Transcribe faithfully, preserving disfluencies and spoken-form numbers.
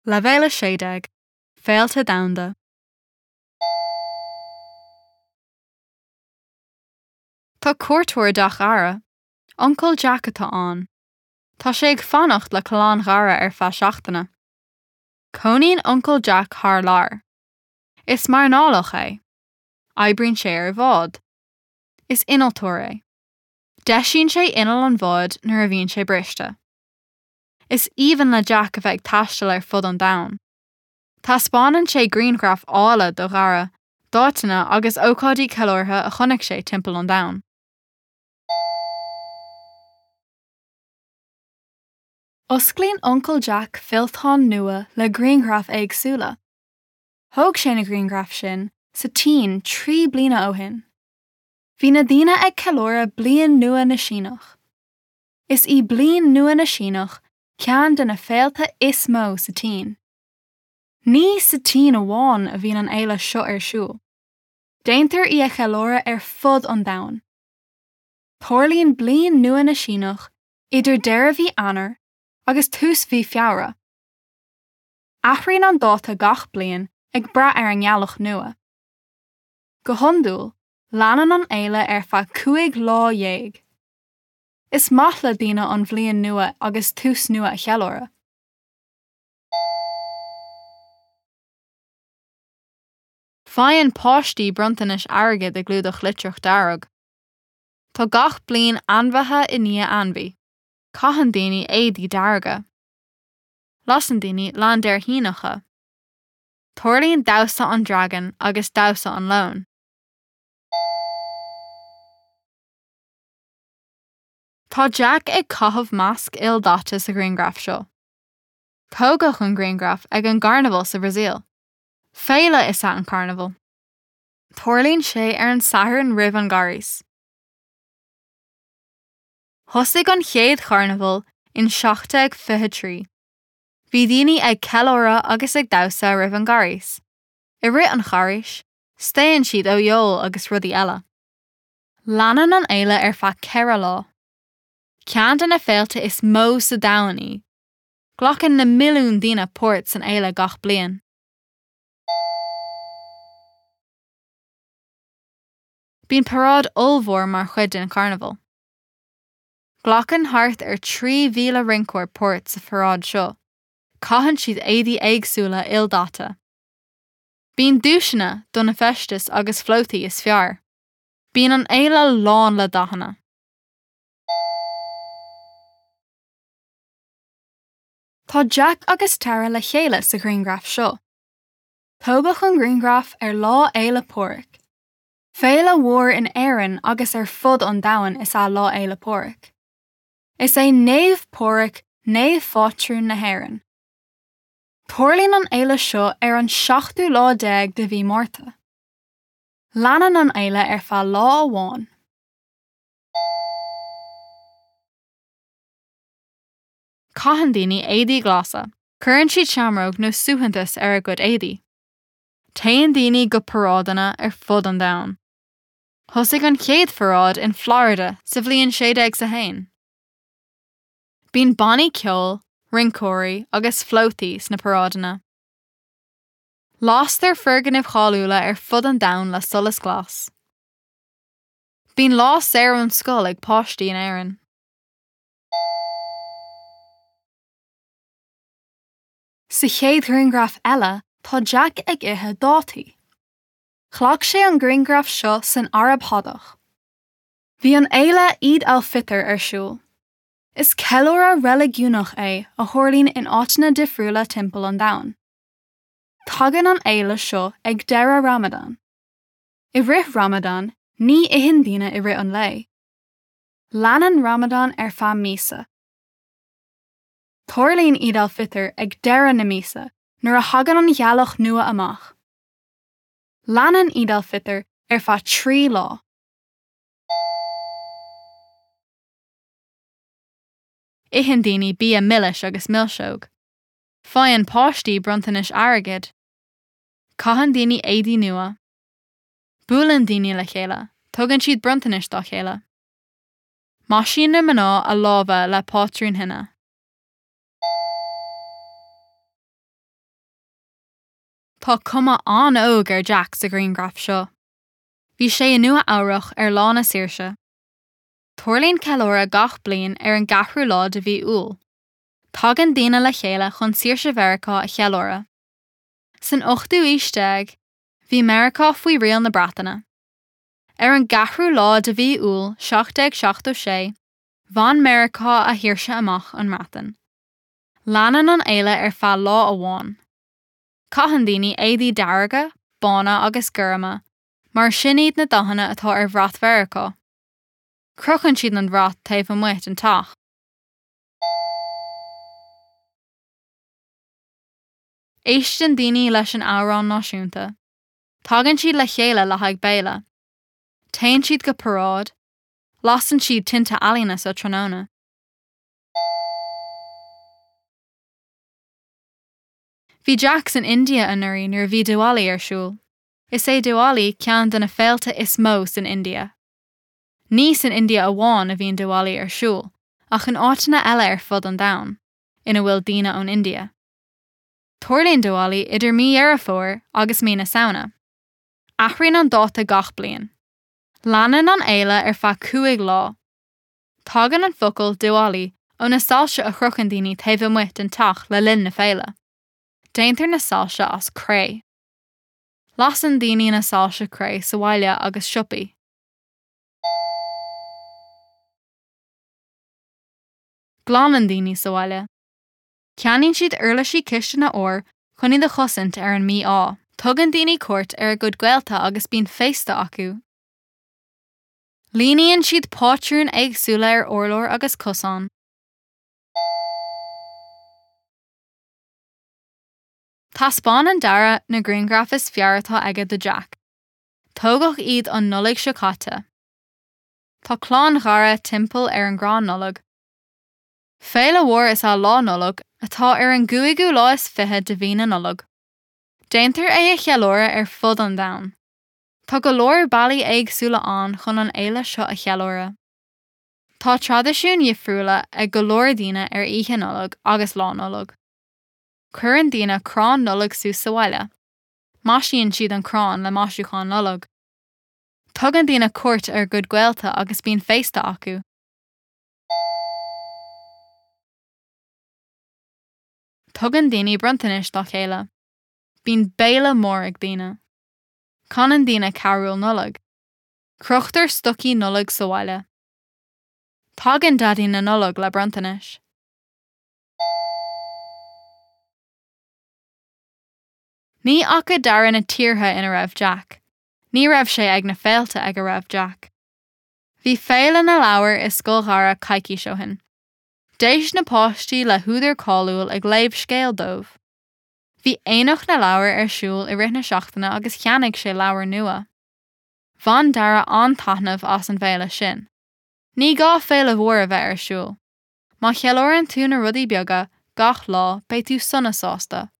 Leibhéal a sé déag, Féilte Domhanda. Tá cuairteoir i dteach Dhara. Uncail Jack atá ann. Tá sé ag fanacht le clann Dhara ar feadh seachtaine. Cónaíonn Uncail Jack thar lear. Is mairnéalach é. Oibríonn sé ar bhád. Is innealtóir é. Deisíonn sé inneall an bháid nuair a bhíonn sé briste. Is aoibhinn le Jack a bheith ag taisteal ar fud an domhain. Taispeánann sé grianghraif áille do Dhara, d'áiteanna agus ócáidí ceiliúrtha a chonaic sé timpeall an domhain. Osclaíonn Uncail Jack fillteán nua le grianghraif éagsúla. Thóg sé na grianghraif sin sa tSín trí bliana ó shin. Bhí na daoine ag ceiliúradh Bliain Nua na Síneach. Is í Bliain Nua na Síneach ceann de na féilte is mó sa tSín. Ní sa tSín amháin a bhíonn an fhéile seo ar siúl. Déantar í a cheiliúradh ar fud an domhain. Tarlaíonn Bliain Nua na Síneach idir deireadh mhí Eanáir agus tús mhí Feabhra. Athraíonn an dáta gach bliain ag brath ar an ngealach nua. Go hiondúil, leanann an fhéile ar feadh cúig lá dhéag. Is maith le daoine an bhliain nua agus tús nua a cheiliúradh. Faigheann páistí bronntanais airgid i gclúdach litreach dearg. Tá gach bliain ainmhithe i ndiaidh ainmhí. Caitheann daoine éadaí dearga. Lasann daoine laincéirníneacha. Tarlaíonn damhsa an dragain agus damhsa an leoin. Tá Jack ag caitheamh masc ildaite sa ghrianghraf seo. Tógadh an grianghraf ag an gcarnabhal sa Bhrasaíl. Féile is ea an carnabhal. Tarlaíonn sé ar an Satharn roimh an gCarghas. Thosaigh an chéad charnabhal in seacht déag fiche trí. Bhí daoine ag ceiliúradh agus ag damhsa roimh an gCarghas. I rith an Charghais, staon siad ó fheoil agus rudaí eile. Leanann an fhéile ar feadh ceithre lá. Ceann de na féilte is mó sa domhan í. Glacann na milliúin daoine páirt san fhéile gach bliain. Bíonn paráid ollmhór mar chuid den charnabhal. Glacann thart ar trí mhíle rinceoir páirt sa pharáid seo. Caitheann siad éadaí éagsúla ildaite. Bíonn duaiseanna do na feistis agus flótaí is fearr. Bíonn an fhéile lán le dathanna. Tá Jack agus Tara le chéile sa ghrianghraf seo. Tógadh an grianghraf ar Lá Fhéile Pádraig. Féile mhór in Éirinn agus ar fud an domhain is ea Lá Fhéile Pádraig. Is é Naomh Pádraig naomhphátrún na hÉireann. Tarlaíonn an fhéile seo ar an seachtú lá déag de mhí Márta. Leanann an fhéile ar feadh lá amháin. Caitheann daoine éadaí glasa. Cuireann siad seamróg nó suaitheantas ar a gcuid éadaí. Téann daoine go paráideanna ar fud an domhain. Thosaigh an chéad pharáid in Florida sa bhliain sé déag a haon. Bíonn bannaí ceoil, rinceoirí agus flótaí sna paráideanna. Lastar foirgnimh cháiliúla ar fud an domhain le solas glas. Bíonn lá saor ón scoil ag páistí in Éirinn. Sa chéad ghrianghraf eile, tá Jack ag ithe dátaí. Ghlac sé an grianghraf seo san Araib Shádach. Bhí an fhéile Eid al-Fitr ar siúl. Is ceiliúradh reiligiúnach é a tharlaíonn in áiteanna difriúla timpeall an domhain. Tagann an fhéile seo ag deireadh Ramadan. I rith Ramadan, ní itheann daoine i rith an lae. Leanann Ramadan ar feadh míosa. Tarlaíonn Eid al-Fitr ag deireadh na míosa nuair a thagann an ghealach nua amach. Leanann Eid al-Fitr ar feadh trí lá. Itheann daoine bia milis agus milseog. Faigheann páistí bronntanais airgid. Caitheann daoine éadaí nua. Buaileann daoine le chéile, tugann siad bronntanais dá chéile. Maisíonn na mná a lámha le pátrúin henna. Tá cuma an-óg ar Jack sa ghrianghraf seo. Bhí sé i Nua Eabhrac ar Lá na Saoirse. Tarlaíonn ceiliúradh gach bliain ar an gceathrú lá de mhí Iúil. Tagann daoine le chéile chun saoirse Mheiriceá a cheiliúradh. San ochtú haois déag, bhí Meiriceá faoi riail na Breataine. Ar an gceathrú lá de mhí Iúil seacht déag seachtó sé, bhain Meiriceá a shaoirse amach ón mBreatain. Leanann an fhéile ar feadh lá amháin. Caitheann daoine éadaí dearga, bána agus gorma, mar sin iad na dathanna atá ar bhrat Mheiriceá. Crochann siad an brat taobh amuigh den teach. Éisteann daoine leis an amhrán náisiúnta. Tagann siad le chéile le haghaidh béile. Téann siad go paráid, lasann siad tinte ealaíne sa tráthnóna. Bhí Jack san India anuraidh nuair a bhí Diwali ar siúl. Is é Diwali ceann de na féilte is mó san India. Ní san India amháin a bhíonn Diwali ar siúl, ach in áiteanna eile ar fud an domhain, ina bhfuil daoine ón India. Tarlaíonn Diwali idir mí Dheireadh Fómhair agus mí na Samhna. Athraíonn an dáta gach bliain. Leanann an fhéile ar feadh cúig lá. Tagann an focal Diwali ó na soilse a chrochann daoine taobh amuigh den teach le linn na féile. Déantar na soilse as cré. Lasann daoine na soilse cré sa bhaile agus siopaí. Glanann daoine sa bhaile. Ceannaíonn siad uirlisí cistine úr chun iad a chosaint ar an mí-ádh. Tugann daoine cuairt ar a gcuid gaolta agus bíonn féasta acu. Líníonn siad pátrúin éagsúla ar urláir agus cosáin. Taispeánann Dara na grianghraif is fearr atá aige do Jack. Tógadh iad an Nollaig seo caite. Tá clann Dhara timpeall ar an gcrann Nollag. Féile mhór is ea Lá Nollag atá ar an gcúigiú lá is fiche de mhí na Nollag. Déantar é a cheiliúradh ar fud an domhain. Tá go leor bealaí éagsúla ann chun an fhéile seo a cheiliúradh. Tá traidisiúin dhifriúla ag go leor daoine ar Oíche Nollag agus Lá Nollag. Cuireann daoine crann Nollag suas sa bhaile. Maisíonn siad an crann le maisiúcháin Nollag. Tugann daoine cuairt ar a gcuid gaolta agus bíonn féasta acu. Tugann daoine bronntanais dá chéile. Bíonn béile mór ag daoine. Canann daoine carúil Nollag. Crochtar stocaí Nollag sa bhaile. Tagann Daidí na Nollag le bronntanais. Ní fhaca Dara na tíortha ina raibh Jack. Ní raibh sé ag na féilte ag a raibh Jack. Bhí Féile na Leabhar i Scoil Dhara coicís ó shin. D'éist na páistí le húdar cáiliúil ag léamh scéil dóibh. Bhí Aonach na Leabhar ar siúl i rith na seachtaine agus cheannaigh sé leabhar nua. Bhain Dara an-taitneamh as an bhféile sin. Ní gá féile mhór a bheith ar siúl. Má cheiliúrann tú na rudaí beaga gach lá beidh tú sona sásta.